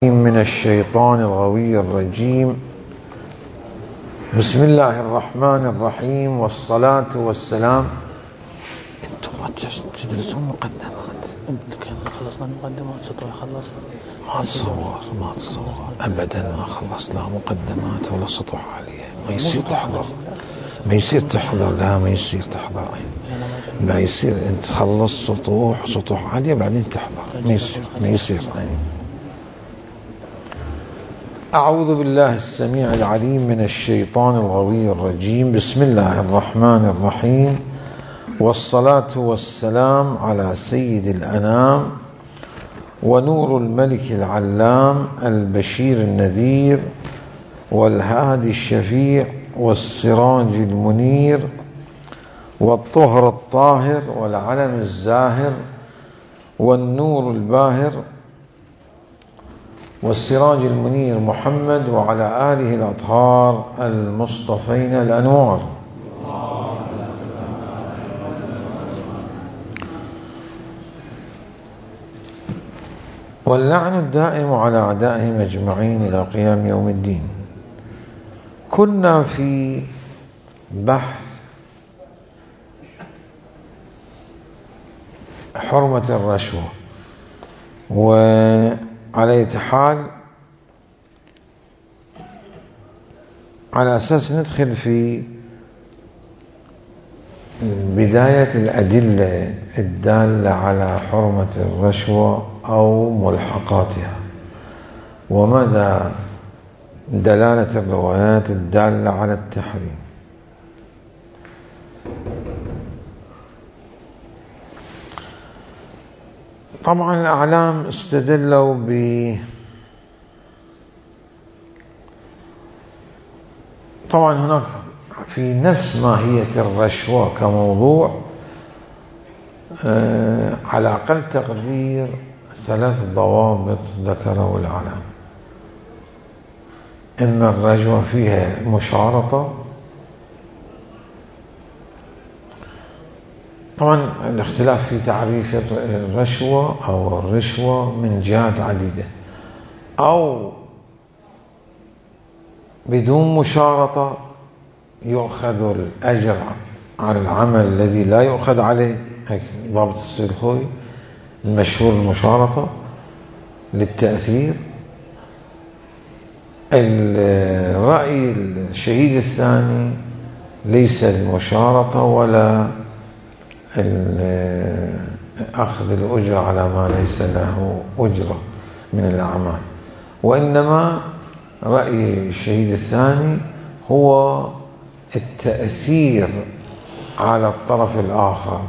من الشيطان الغوي الرجيم. بسم الله الرحمن الرحيم، والصلاة والسلام. انتم ما تدرسون مقدمات؟ خلصنا مقدمات سطر خلص. ما تصور ابدا ما خلص لا مقدمات ولا سطح عالية. ما يصير تحضر، لا ما يصير تحضر، لا يصير انت تخلص سطوح عالية بعدين تحضر، ما يصير يعني. أعوذ بالله السميع العليم من الشيطان الغوي الرجيم. بسم الله الرحمن الرحيم، والصلاة والسلام على سيد الأنام ونور الملك العلام البشير النذير والهادي الشفيع والسراج المنير والطهر الطاهر والعلم الزاهر والنور الباهر والسراج المنير محمد وعلى آله الأطهار المصطفين الأنوار. واللعن الدائم على أعدائهم أجمعين إلى قيام يوم الدين. كنا في بحث حرمة الرشوة، وعلى أي حال على أساس ندخل في بداية الأدلة الدالة على حرمة الرشوة أو ملحقاتها، ومدى دلالة الروايات الدالة على التحريم. طبعا الأعلام استدلوا طبعا هناك في نفس ماهية الرشوة كموضوع على أقل تقدير 3 ضوابط ذكره الأعلام. إن الرشوة فيها مشارطة. طبعا الاختلاف في تعريف الرشوة أو الرشوة من جهات عديدة، أو بدون مشارطة يؤخذ الأجر على العمل الذي لا يؤخذ عليه، هيك ضابط السيد الخوي المشهور المشارطة للتأثير. الرأي الشهيد الثاني ليس المشارطة ولا أخذ الأجرة على ما ليس له أجرة من الأعمال، وإنما رأي الشهيد الثاني هو التأثير على الطرف الآخر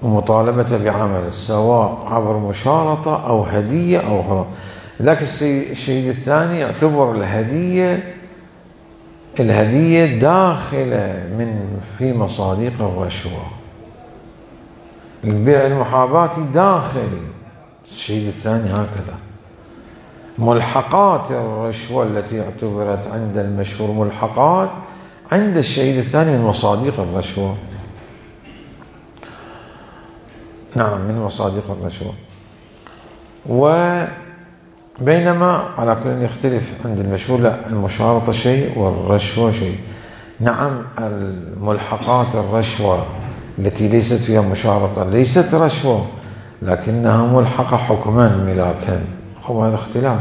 ومطالبة بعمل، سواء عبر مشارطة أو هدية أو غيره. لكن الشهيد الثاني يعتبر الهدية داخلة في مصادق الرشوة. البيع المحاباتي داخل الشهيد الثاني هكذا. ملحقات الرشوة التي اعتبرت عند المشهور ملحقات عند الشهيد الثاني من مصادق الرشوة. نعم، من مصادق الرشوة. وبينما على كل يختلف عند المشهور، لا، المشارطة شيء والرشوة شيء. نعم، الملحقات الرشوة التي ليست فيها مشارطة ليست رشوة، لكنها ملحقة حكما ملاكا، هذا اختلاف.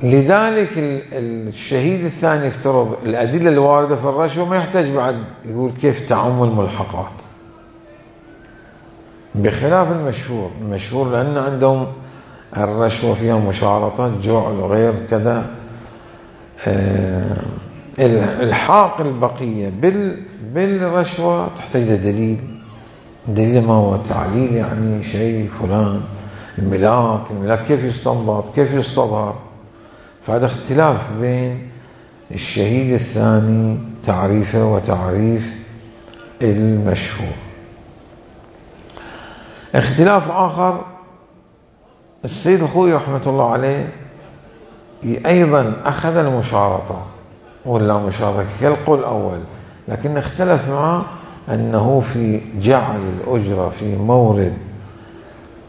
لذلك الشهيد الثاني افترض الأدلة الواردة في الرشوة، ما يحتاج بعد يقول كيف تعم الملحقات، بخلاف المشهور لأن عندهم الرشوة فيها مشارطة، جعل وغير كذا. الحاق البقية بالرشوة تحتاج دليل ما هو تعليل، يعني شيء فلان الملاك كيف يستنبط، كيف يستظهر. فهذا اختلاف بين الشهيد الثاني تعريفه وتعريف المشهور. اختلاف آخر، السيد الخوي رحمة الله عليه أيضا أخذ المشارطة ولا مشارطة كالقول الأول، لكن اختلف معه أنه في جعل الأجرة في مورد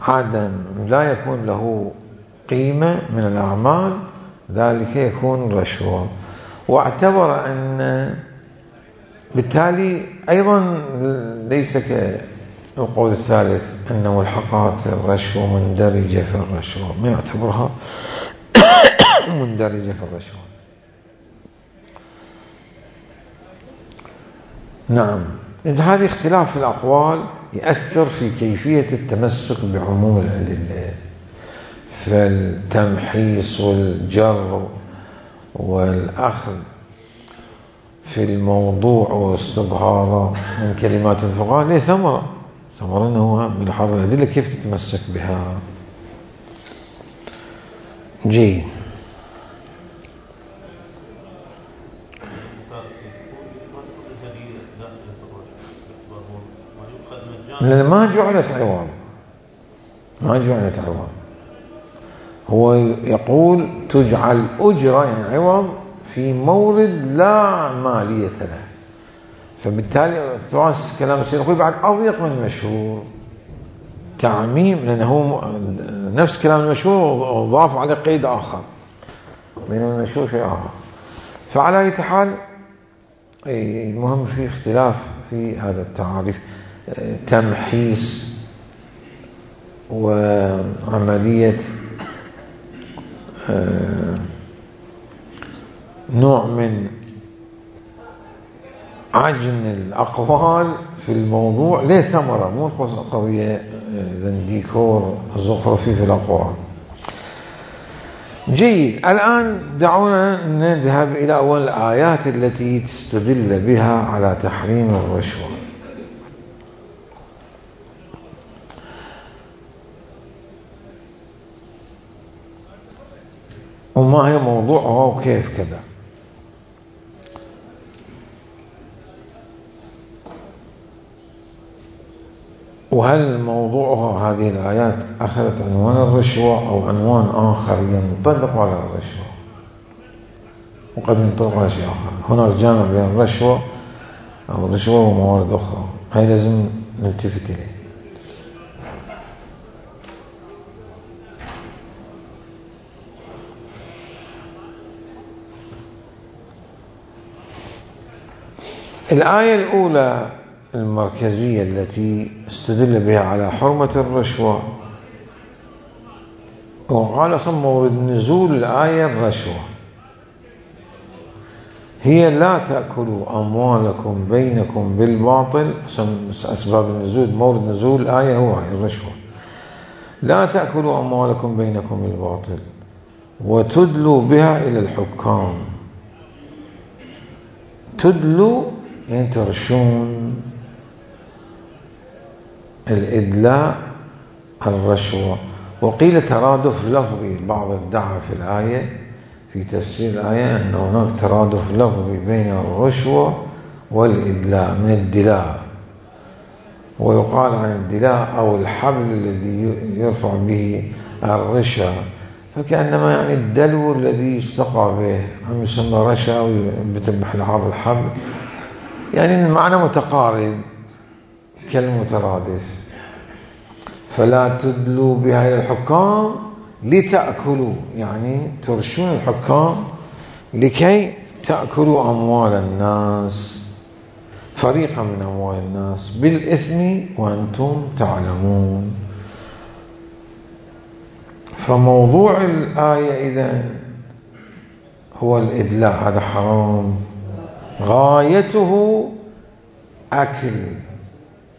عادة لا يكون له قيمة من الأعمال، ذلك يكون رشوة. واعتبر أن بالتالي أيضا ليس كالقول الثالث أن ملحقات الرشوة مندرجة في الرشوة، ما يعتبرها مندرجة في الرشوة. نعم، إذا هذا اختلاف في الأقوال يؤثر في كيفية التمسك بعموم الأدلة، فالتمحيص والجر والأخذ في الموضوع واستظهاره من كلمات الفقهاء له ثمرة أنه بلحاظ الأدلة كيف تتمسك بها. جيد. لأن ما جعلت عوض، هو يقول تجعل أجرة يعني عوض في مورد لا مالية له، فبالتالي كلام السيد الخوئي بعد أضيق من المشهور تعميم، لأنه هو نفس كلام المشهور وضاف على قيد آخر بين المشهور شيء آخر. فعلى أي حال المهم في اختلاف في هذا التعاريف، تمحيص وعملية نوع من عجن الأقوال في الموضوع له ثمرة، مو قضية ديكور زخرفي في الأقوال. جيد. الآن دعونا نذهب إلى أول الآيات التي تستدل بها على تحريم الرشوة. وما هي موضوعها وكيف كذا. وهل موضوعها هذه الآيات أخذت عنوان الرشوة أو عنوان آخر ينطبق على الرشوة، وقد ينطبق على شيء آخر. هناك جامع بين الرشوة أو الرشوة وموارد أخرى، هاي لازم نلتفت إليه. الآية الأولى المركزية التي استدل بها على حرمة الرشوة، وقال أصلا مورد نزول الآية الرشوة، هي لا تأكلوا أموالكم بينكم بالباطل. أسباب النزول، مورد نزول الآية هو الرشوة. لا تأكلوا أموالكم بينكم بالباطل وتدلوا بها إلى الحكام. تدلوا يعني ترشون، الإدلاء الرشوة. وقيل ترادف لفظي، بعض ادعى في الآية في تفسير الآية أن هناك ترادف لفظي بين الرشوة والإدلاء من الدلاء، ويقال عن الدلاء أو الحبل الذي يرفع به الرشا، فكأنما يعني الدلو الذي يستقى به أم يسمى رشا أو ينبت لحاظ الحبل، يعني المعنى متقارب كالمترادف. فلا تدلوا بها إلى الحكام لتأكلوا، يعني ترشون الحكام لكي تأكلوا أموال الناس، فريقا من أموال الناس بالإثم وأنتم تعلمون. فموضوع الآية إذن هو الإدلاء، هذا حرام، غايته أكل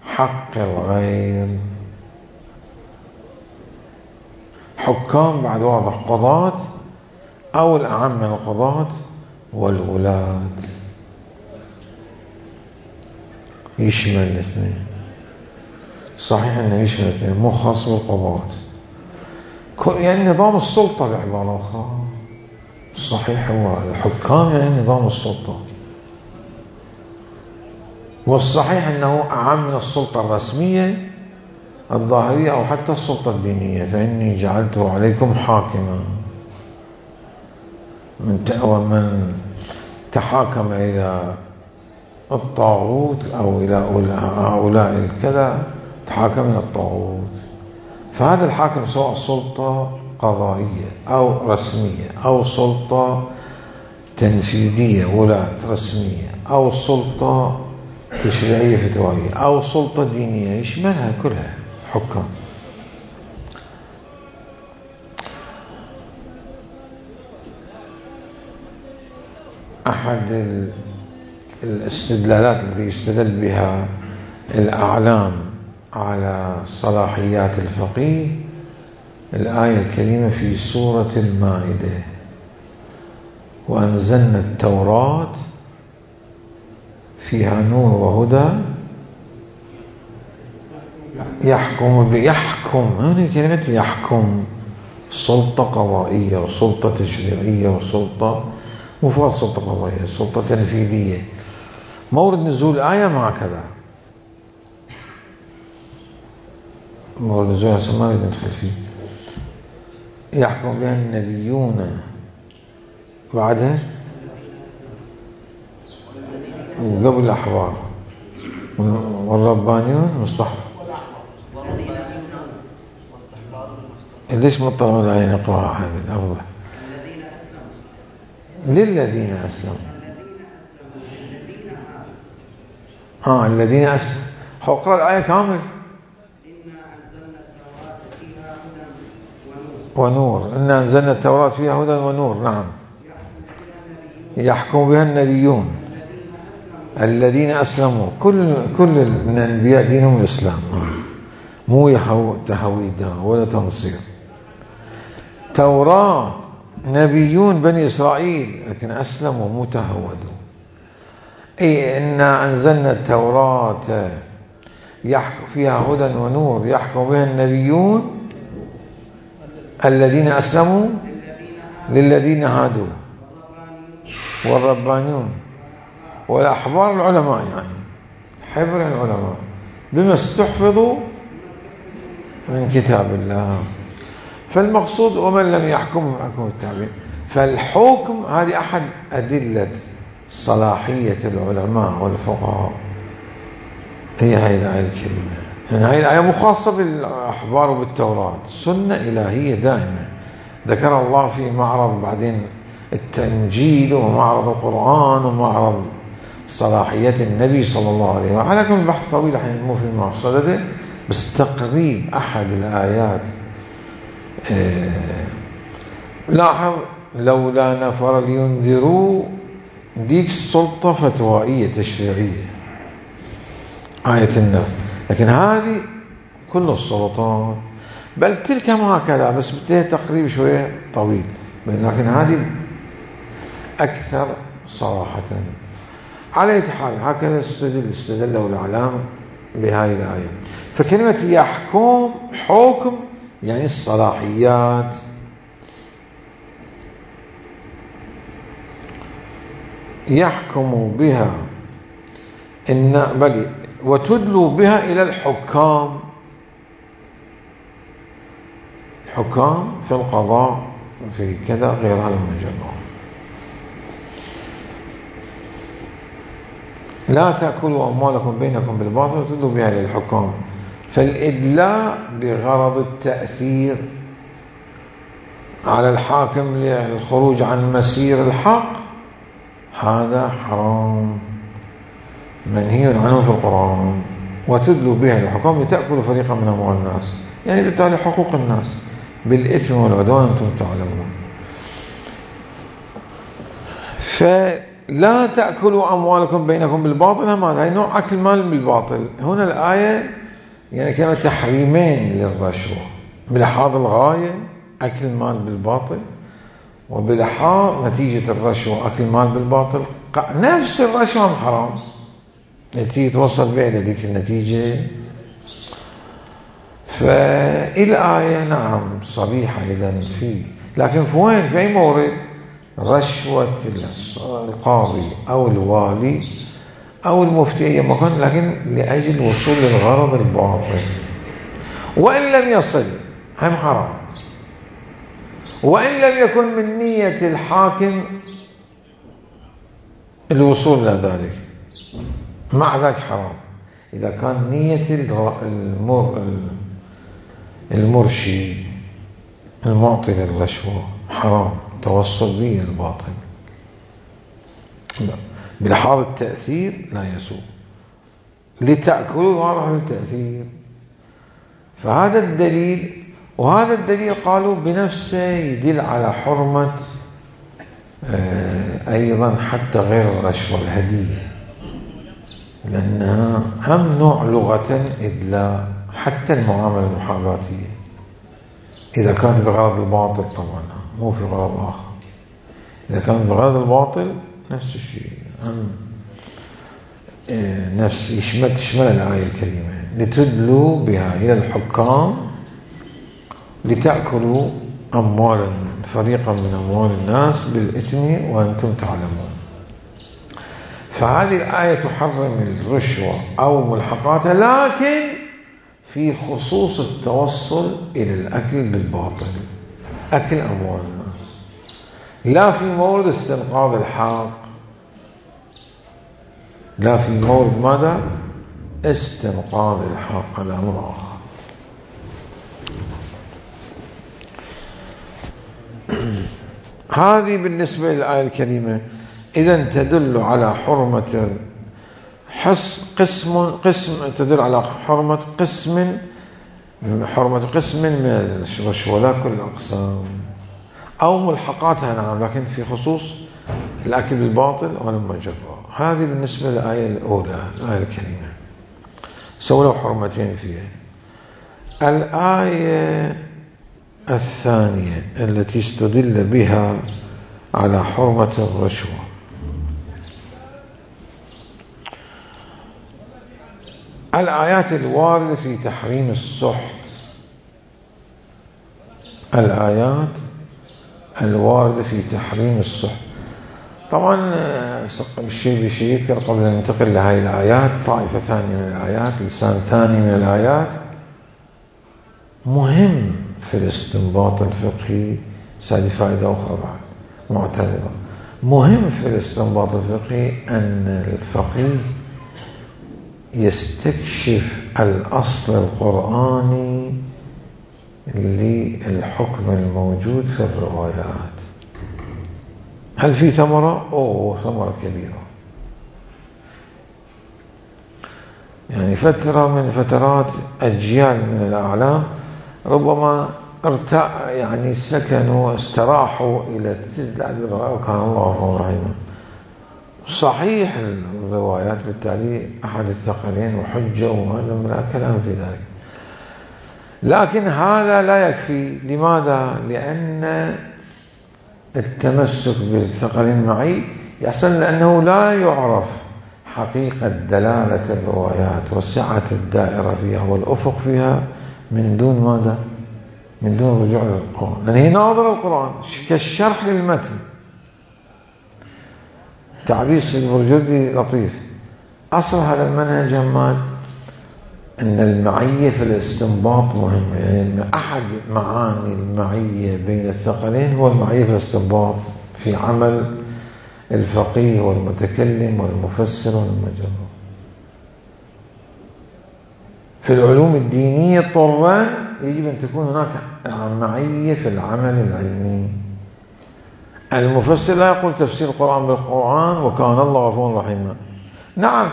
حق الغير. حكام بعد واضح، قضاة أو الأعم من القضاة والولاة، يشمل الاثنين. صحيح أنه يشمل الاثنين، مو خاص بالقضاة، يعني نظام السلطة بعبارة أخرى. الصحيح هو الحكام يعني نظام السلطة، والصحيح أنه أعم من السلطة الرسمية الظاهرية أو حتى السلطة الدينية. فإني جعلته عليكم حاكما، ومن تحاكم إلى الطاغوت أو إلى هؤلاء الكذا تحاكم إلى الطاغوت. فهذا الحاكم سواء سلطة قضائية أو رسمية أو سلطة تنفيذية ولاة رسمية أو سلطة تشريعية فتوائية أو سلطة دينية، يشملها كلها حكام. أحد الاستدلالات التي يستدل بها الأعلام على صلاحيات الفقيه الآية الكريمة في سورة المائدة: وأنزلنا التوراة فيها نور وهدى يحكم هنا كلمة يحكم، سلطة قضائية وسلطة تشريعية وسلطة مفرد سلطة قضائية سلطة تنفيذية. مورد نزول الآية ما كذا، مورد نزول ما نريد ندخل فيه. يحكم بها النبيون بعدها وقبل الأحبار والربانيون مصطحف. ليش مطلع الآية نقرأها هذه أفضل؟ للذين أسلموا الذين أسلموا. اقرأ الآية كامل. ونور، إنا أنزلنا التوراة فيها هدى ونور. نعم. يحكم بها النبيون الذين أسلموا. كل من الأنبياء دينهم الإسلام، مو تهويد ولا تنصير. توراة نبيون بني إسرائيل لكن أسلموا مو تهودوا. أي إنا أنزلنا التوراة يحكم فيها هدى ونور يحكم بها النبيون الذين أسلموا للذين هادوا والربانيون والأحبار العلماء، يعني حبر العلماء بما استحفظوا من كتاب الله. فالمقصود ومن لم يحكم فحكم التابعين. فالحكم هذه أحد أدلة صلاحية العلماء والفقهاء، هي هاي الآية الكريمة. يعني هاي الآية مخاصة بالأحبار وبالتوراة، سنة إلهية دائمة ذكر الله في معرض بعدين التنجيل ومعرض القرآن ومعرض صلاحية النبي صلى الله عليه وسلم. على كل البحث طويل حين مو في مقصده، بس تقريب أحد الآيات. لاحظ لولا نفر لينذروا، ديك السلطة فتوائية تشريعية آية النار، لكن هذه كل السلطات، بل تلك ما هكذا بس بدها تقريب شوية طويل، لكن هذه أكثر صراحة. على حال هكذا استدلوا الأعلام بهذه الآية. فكلمة يحكم حكم يعني الصلاحيات. يحكم بها بل وتدلوا بها إلى الحكام. الحكام في القضاء في كذا غير هذا المجال. لا تأكلوا أموالكم بينكم بالباطل وتدلوا بها إلى الحكام. فالإدلاء بغرض التأثير على الحاكم للخروج عن مسير الحق هذا حرام منهي عنه في القرآن. وتدلوا بها للحكام لتأكلوا فريقا من أموال الناس، يعني بالتالي حقوق الناس بالإثم والعدوان أنتم تعلمون. فلا تأكلوا أموالكم بينكم بالباطل، هذا نوع أكل مال بالباطل. هنا الآية يعني كما تحريمين للرشوة، بلحاظ الغاية أكل المال بالباطل، وبلحاظ نتيجة الرشوة أكل المال بالباطل. نفس الرشوة حرام، نتيجة توصل بها إلى ذيك النتيجة. فالآية نعم صريحة إذن في، لكن في وين؟ في أي مورد؟ رشوة القاضي أو الوالي أو المفتي أي مكان، لكن لأجل وصول للغرض الباطل، وإن لم يصل هم حرام، وإن لم يكن من نية الحاكم الوصول إلى ذلك مع ذلك حرام. إذا كان نية المرشي المعطي للرشوة حرام، توصل به الباطل بلحاظ التأثير لا يسوء، لتأكلوا واضح التأثير. فهذا الدليل، وهذا الدليل قالوا بنفسه يدل على حرمة أيضا حتى غير الرشوة الهدية، لأنها هم نوع لغة إدلاء، حتى المعاملة المحاباتية إذا كانت بغرض الباطل، طبعا مو في غرض آخر. إذا كانت بغرض الباطل نفس الشيء، نفس تشمل الآية الكريمة لتدلوا بها إلى الحكام لتأكلوا أموالا فريقا من أموال الناس بالإثم وأنتم تعلمون. فهذه الآية تحرم الرشوة أو ملحقاتها، لكن في خصوص التوصل إلى الأكل بالباطل، أكل أموال الناس، لا في مورد استنقاذ الحق، لا في مورد ماذا؟ استنقاذ الحق، هذا أمر آخر. هذه بالنسبة للآية الكريمة. إذن تدل على حرمة تدل على حرمة قسم من الرشوة، لا كل الأقسام، أو ملحقاتها نعم، لكن في خصوص الأكل بالباطل والمجرة. هذه بالنسبة للآية الأولى، الآية الكريمة سولوا حرمتين فيها. الآية الثانية التي استدل بها على حرمة الرشوة، الآيات الواردة في تحريم السحت، الآيات الواردة في تحريم السحت. طبعا شيء بشيء يذكر قبل أن ننتقل لهذه الآيات طائفة ثانية من الآيات، لسان ثاني من الآيات مهم في الاستنباط الفقهي. هذه فائدة أخرى بعد معتبرة، مهم في الاستنباط الفقهي أن الفقيه يستكشف الأصل القرآني للحكم الموجود في الروايات. هل في ثمرة؟ ثمرة كبيرة. يعني فترة من فترات أجيال من الأعلام ربما يعني سكنوا استراحوا إلى التدلع بالرواية، وكان الله غفورا رحيما. صحيح الروايات بالتالي أحد الثقلين وحجة، وهذا من كلام في ذلك، لكن هذا لا يكفي. لماذا؟ لأن التمسك بالثقل المعي يحصل لأنه لا يعرف حقيقة دلالة الروايات وسعة الدائرة فيها والأفق فيها من دون ماذا؟ من دون رجوع للقرآن، لأن هي ناظرة القرآن كالشرح للمتن. تعبير البرجردي لطيف. أصل هذا المنهج هماد أن المعية في الاستنباط مهمة، يعني أحد معاني المعية بين الثقلين هو المعية في الاستنباط في عمل الفقيه والمتكلم والمفسر والمجرد. في العلوم الدينية طبعا يجب أن تكون هناك معية في العمل العلمي. المفسر لا يقول تفسير القرآن بالقرآن وكان الله غفورا رحيما. نعم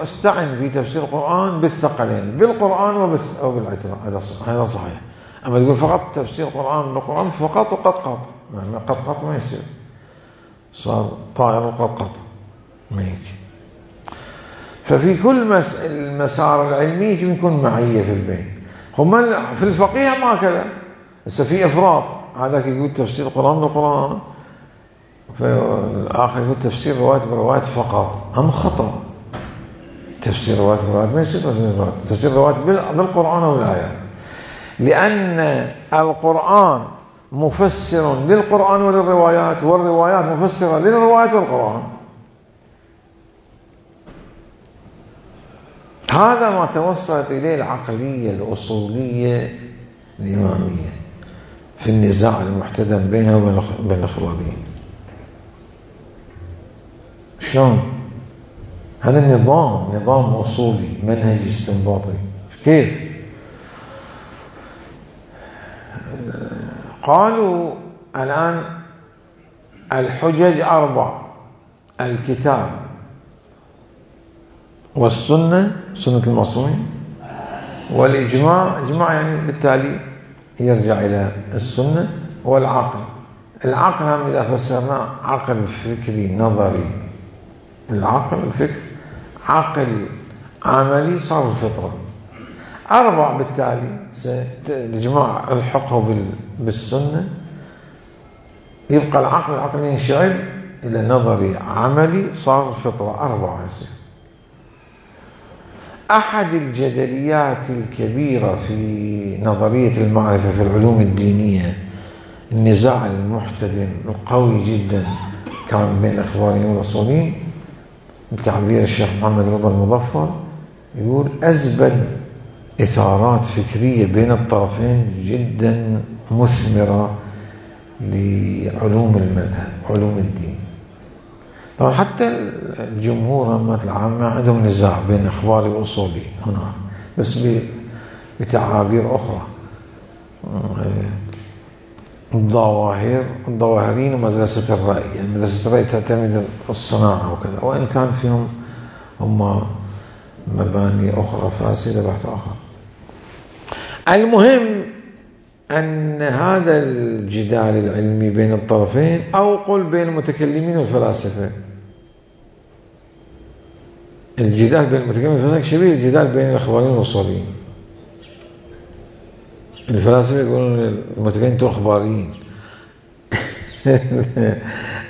استعن في تفسير القرآن بالثقلين، بالقرآن أو بالاعتراف، هذا صحيح. أما تقول فقط تفسير القرآن بالقرآن فقط وقط يعني قط ما يصير، صار طائر وقط ما يمكن. ففي كل المسار العلمي يجب يكون معية في البين. هم في الفقيه ما كذا، بس في إفراط، هذاك يقول تفسير القرآن بالقرآن، فالآخر يقول تفسير رواية برواية فقط. هم خطأ. تفسير رواية برواية ما يصير تفسير رواية بالقرآن والآيات، لأن القرآن مفسر للقرآن وللروايات، والروايات مفسرة للروايات والقرآن. هذا ما توصلت إليه العقلية الأصولية الإمامية في النزاع المحتدم بينه وبين الخبريين. شلون؟ هذا نظام أصولي منهج استنباطي. كيف؟ قالوا الآن الحجج 4: الكتاب والسنة، سنة المعصومين، والإجماع، إجماع يعني بالتالي يرجع إلى السنة، والعقل. العقل هم إذا فسرناه عقل فكري نظري، العقل الفكر، عقل عملي، صار الفطرة. 4 بالتالي الإجماع الحقه بالسنة، يبقى العقل ينشعب إلى نظري عملي، صار الفطرة. 4 يصير. أحد الجدليات الكبيرة في نظرية المعرفة في العلوم الدينية، النزاع المحتدم القوي جدا كان بين الأخباريين والأصوليين، بتعبير الشيخ محمد رضا المظفر، يقول أزبد إثارات فكرية بين الطرفين جدا مثمرة لعلوم المذهب، علوم الدين. طبعا حتى الجمهور العامة عندهم نزاع بين إخباري وأصولي هنا، بس بتعابير أخرى. الظواهرين ومدرسة الرأي، يعني مدرسة الرأي تعتمد الصناعة وكذا، وإن كان فيهم هم مباني أخرى فاسدة بحث آخر. المهم أن هذا الجدال العلمي بين الطرفين، أو قل بين المتكلمين والفلاسفة، الجدال بين المتكلمين والفلاسفة شبيه الجدال بين الأخباريين والأصوليين. الفلاسفة يقولون المتكلمين انتم أخباريين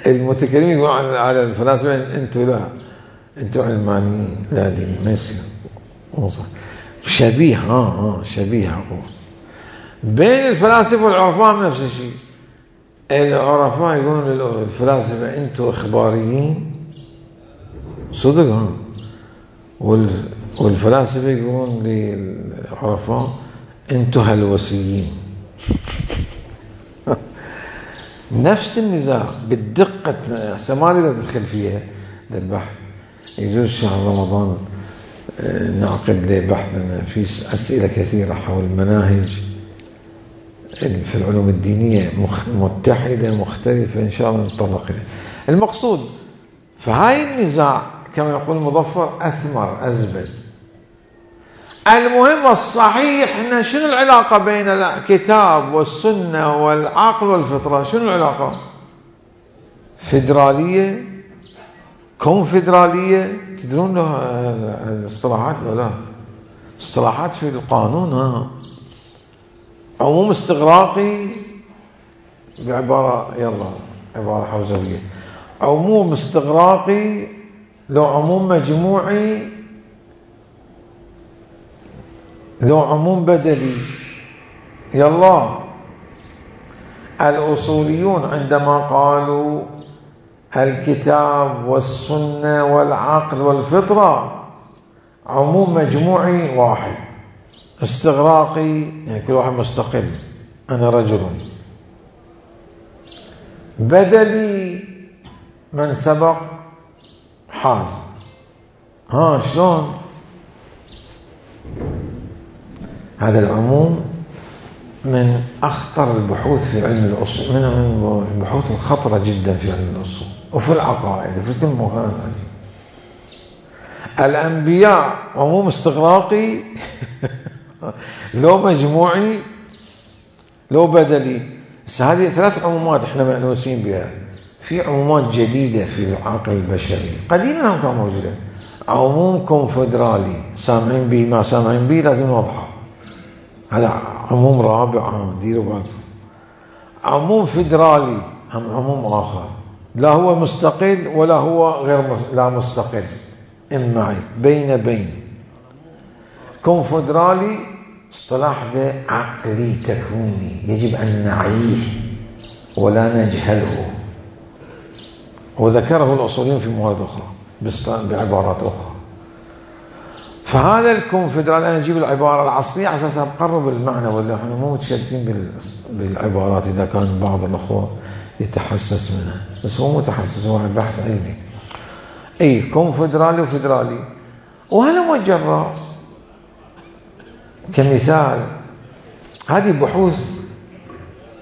المتكلمين يقولون على الفلاسفة انتم علمانيين. لا دين ما يصير. شبيه شبيه أقول. بين الفلاسفة والعرفاء نفس الشيء. العرفاء يقولون للفلاسفة انتم إخباريين صدق، والفلاسفة يقولون للعرفاء انتم هلوسيين نفس النزاع بالدقة. ما اريد ادخل فيها ده البحث، يجوز شهر رمضان نعقد له بحثنا في أسئلة كثيرة حول المناهج في العلوم الدينية متحدة مختلفة، إن شاء الله نتطرق إليه. المقصود فهاي النزاع كما يقول المظفر أثمر أزبد. المهم الصحيح إن شنو العلاقة بين الكتاب والسنة والعقل والفطرة؟ شنو العلاقة؟ فيدرالية، كونفدرالية، تدرون الاصطلاحات ولا اصطلاحات في القانون. عموم استغراقي بعبارة عبارة حوزوية، عموم استغراقي، لو عموم مجموعي، لو عموم بدلي. الأصوليون عندما قالوا الكتاب والسنة والعقل والفطرة عموم مجموعي واحد، استغراقي يعني كل واحد مستقل، أنا رجل، بدلي من سبق حاز. شلون هذا العموم؟ من أخطر البحوث في علم الأصول، من البحوث الخطرة جدا في علم الأصول وفي العقائد وفي كل مكان. الأنبياء عموم استغراقي لو مجموعي لو بدلي. هذه 3 عمومات احنا مأنوسين بها. في عمومات جديدة في العقل البشري، قديما هم كانوا موجودين. عموم كونفدرالي، سامعين به ما سامعين به لازم نوضحه، هذا عموم رابع، ديروا بالكم. عموم فيدرالي هم عموم آخر، لا هو مستقل ولا هو غير لا مستقل، معي بين. كونفدرالي اصطلاح ده عقلي تكويني، يجب أن نعيه ولا نجهله، وذكره الأصوليين في موارد أخرى بعبارات أخرى. فهذا الكونفدرالي، أنا أجيب العبارة العصرية على أساس أقرب المعنى، ولا احنا مو متشددين بالعبارات إذا كان بعض الأخوة يتحسس منها، بس هو متحسس، هو بحث علمي. كونفدرالي وفدرالي. وهذا مجرد كمثال، هذه بحوث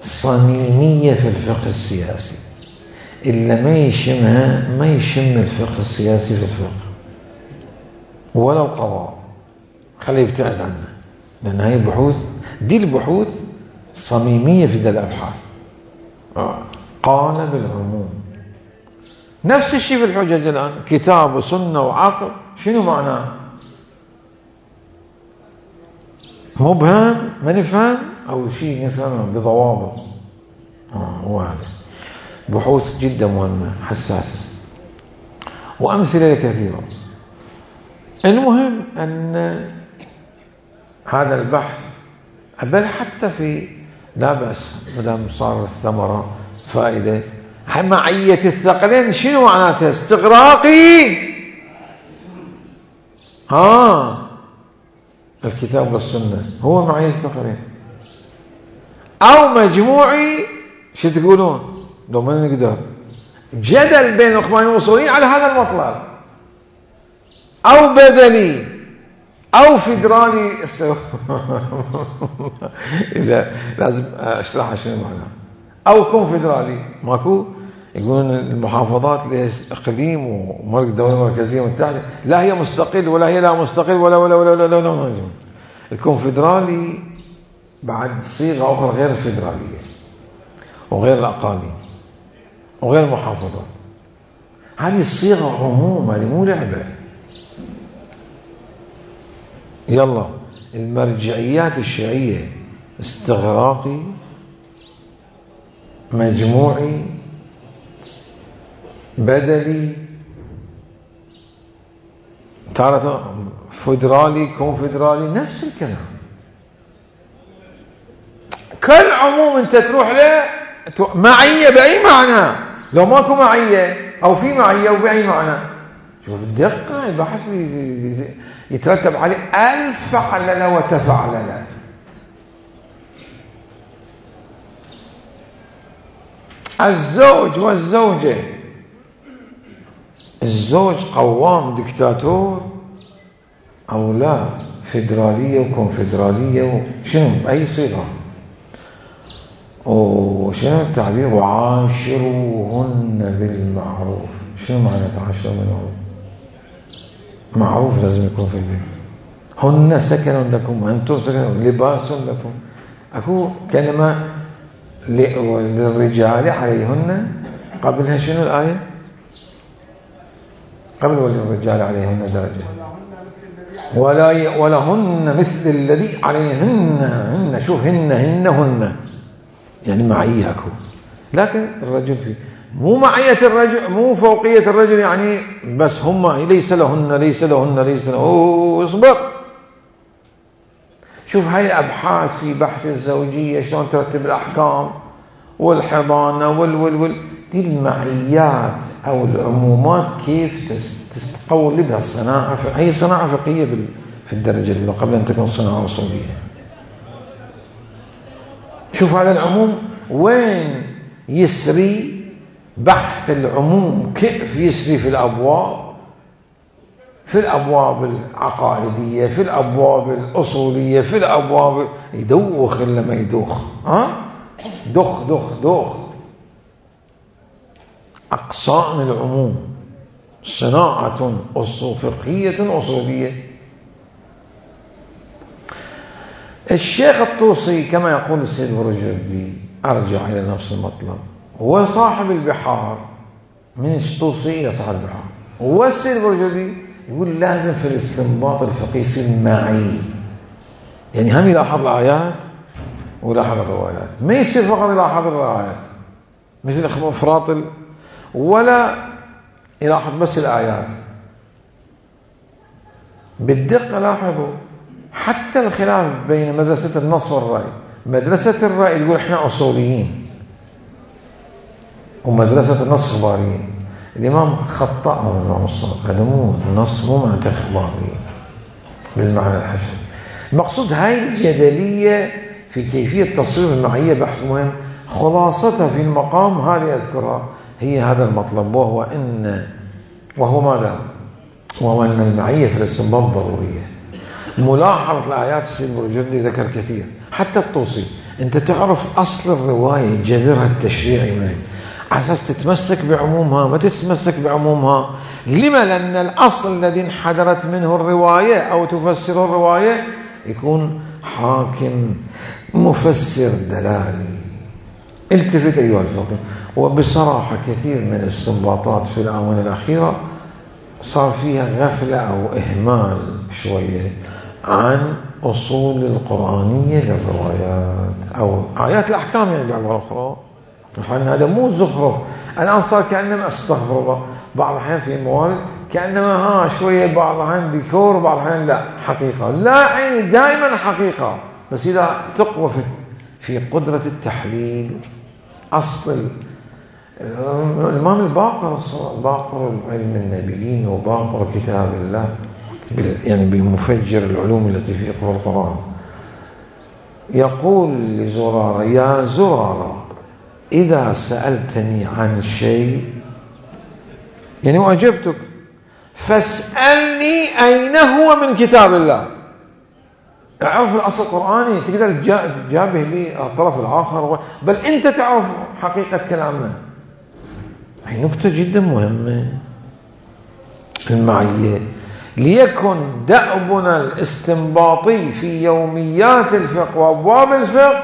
صميمية في الفقه السياسي، إلا ما يشمها ما يشم الفقه السياسي في الفقه ولا القضاء، خليه يبتعد عنه، لأن هاي البحوث دي البحوث صميمية في ذا الأبحاث. قال بالعموم. نفس الشيء في الحجج الآن، كتاب وسنة وعقل، شنو معناه؟ مبهم ما نفهم أو شيء نفهمه بضوابط. هو هذا. بحوث جدا مهمة حساسة، وأمثلة كثيرة. المهم أن هذا البحث بل حتى في لا بأس مدام صار الثمرة فائدة. معية الثقلين شنو معناتها؟ استغراقي الكتاب والسنة هو معية الثقلين، أو مجموعي شو تقولون لو ما نقدر جدل بين الإخوانيين والأصوليين على هذا المطلب، أو بدلي أو فيدرالي. إذا لازم أشرح شنو معناه. أو كونفدرالي ماكو، يقولون المحافظات لها إقليم ومركز دولة مركزية متحدة، لا هي مستقل ولا هي لا مستقل ولا. الكونفدرالي بعد صيغة أخرى غير الفيدرالية وغير الأقاليم وغير المحافظات. هذه الصيغة عموم، هذه مو لعبة. يلا المرجعيات الشيعية استغراقي، مجموعي، بدلي، تارة فدرالي، كونفدرالي، نفس الكلام. كل عموم انت تروح له معية بأي معنى، لو ماكو معية أو في معية وبأي معنى. شوف الدقة، البحث يترتب عليه 1000 فعللة وتفعللة. الزوج والزوجة، الزوج قوام دكتاتور أو لا، فيدرالية وكونفدرالية شنو بأي صيغة، وشنو التعبير؟ وعاشروهن بالمعروف. شنو معنى تعاشروهن بالمعروف؟ معروف لازم يكون في البيت. هن سكن لكم وأنتم سكن، لباس لكم. أكو كلمة للرجال عليهن، قبلها شنو الآية؟ قبل وللرجال عليهن درجة، ولهن مثل الذي عليهن. شوف هن يعني معية أكو، لكن الرجل فيه مو معية الرجل، مو فوقية الرجل، يعني بس هم ليس لهن. اصبر. شوف هاي الأبحاث في بحث الزوجية شلون ترتب الأحكام والحضانة دي المعيات أو العمومات كيف تستقولبها الصناعة. هي صناعة فقهية في الدرجة الأولى قبل أن تكون صناعة أصولية. شوف على العموم وين يسري بحث العموم، كيف يسري في الأبواب العقائدية، في الأبواب الأصولية، في الأبواب يدوخ إلا ما يدوخ. دخ أقسام العموم صناعة فقهية أصولية. الشيخ الطوسي كما يقول السيد برجردي، أرجع إلى نفس المطلب، هو صاحب البحار، من الطوسي إلى صاحب البحار. والسيد برجردي يقول لازم في الاستنباط الفقهي يصير معي، يعني هم يلاحظ الآيات ويلاحظ الروايات، ما يصير فقط يلاحظ الروايات مثل إفراط ولا يلاحظ بس الآيات. بالدقة لاحظوا حتى الخلاف بين مدرسة النص والرأي. مدرسة الرأي تقول احنا أصوليين، ومدرسة النص إخباريين. الإمام خطأهم الإمام الصادق، هذا مو النص، مو معنى إخباريين بالمعنى الحشري. المقصود هاي الجدلية في كيفية تصوير المعية بحث مهم. خلاصتها في المقام هذه أذكرها، هي هذا المطلب، وهو ماذا؟ وهو أن المعية في الاستنباط ضرورية. ملاحظة الآيات السيد برجردي ذكر كثير، حتى الطوسي أنت تعرف أصل الرواية جذرها التشريعي منين، على أساس تتمسك بعمومها، ما تتمسك بعمومها. لما؟ لأن الأصل الذي انحدرت منه الرواية أو تفسر الرواية يكون حاكم مفسر دلالي. التفت أيها الفقيه. وبصراحة كثير من الاستنباطات في الآونة الأخيرة صار فيها غفلة أو إهمال شوية عن أصول القرآنية للروايات أو آيات الأحكام، يعني بعبارة أخرى. الحين هذا مو زخرف، الآن صار كأنما أستغفر الله بعض الأحيان في الموارد كأنما شوية، بعض الأحيان ديكور، بعض الأحيان لا حقيقة، لا يعني دائما حقيقة. بس إذا تقوى في قدرة التحليل. أصل الإمام الباقر علم النبيين وباقر كتاب الله، يعني بمفجر العلوم التي في القرآن، يقول لزرارة: يا زرارة إذا سألتني عن شيء يعني وأجبتك فاسألني أين هو من كتاب الله. اعرف الأصل القرآني تقدر تجابه بالطرف الآخر، بل أنت تعرف حقيقة كلامنا. هي نقطة جدا مهمة، المعية. ليكن دأبنا الاستنباطي في يوميات الفقه وأبواب الفقه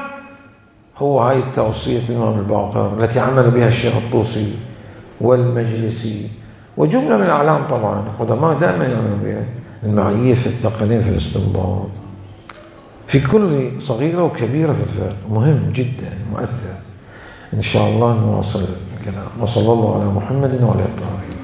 هو هاي التوصية الإمام الباقر التي عمل بها الشيخ الطوسي والمجلسي وجملة من الأعلام طبعا قدماء دائما يعملون بها. المعية في الثقلين في الاستنباط في كل صغيرة وكبيرة في الفقه مهم جدا مؤثر. إن شاء الله نواصل الكلام. وصلى الله على محمد وعلى آله.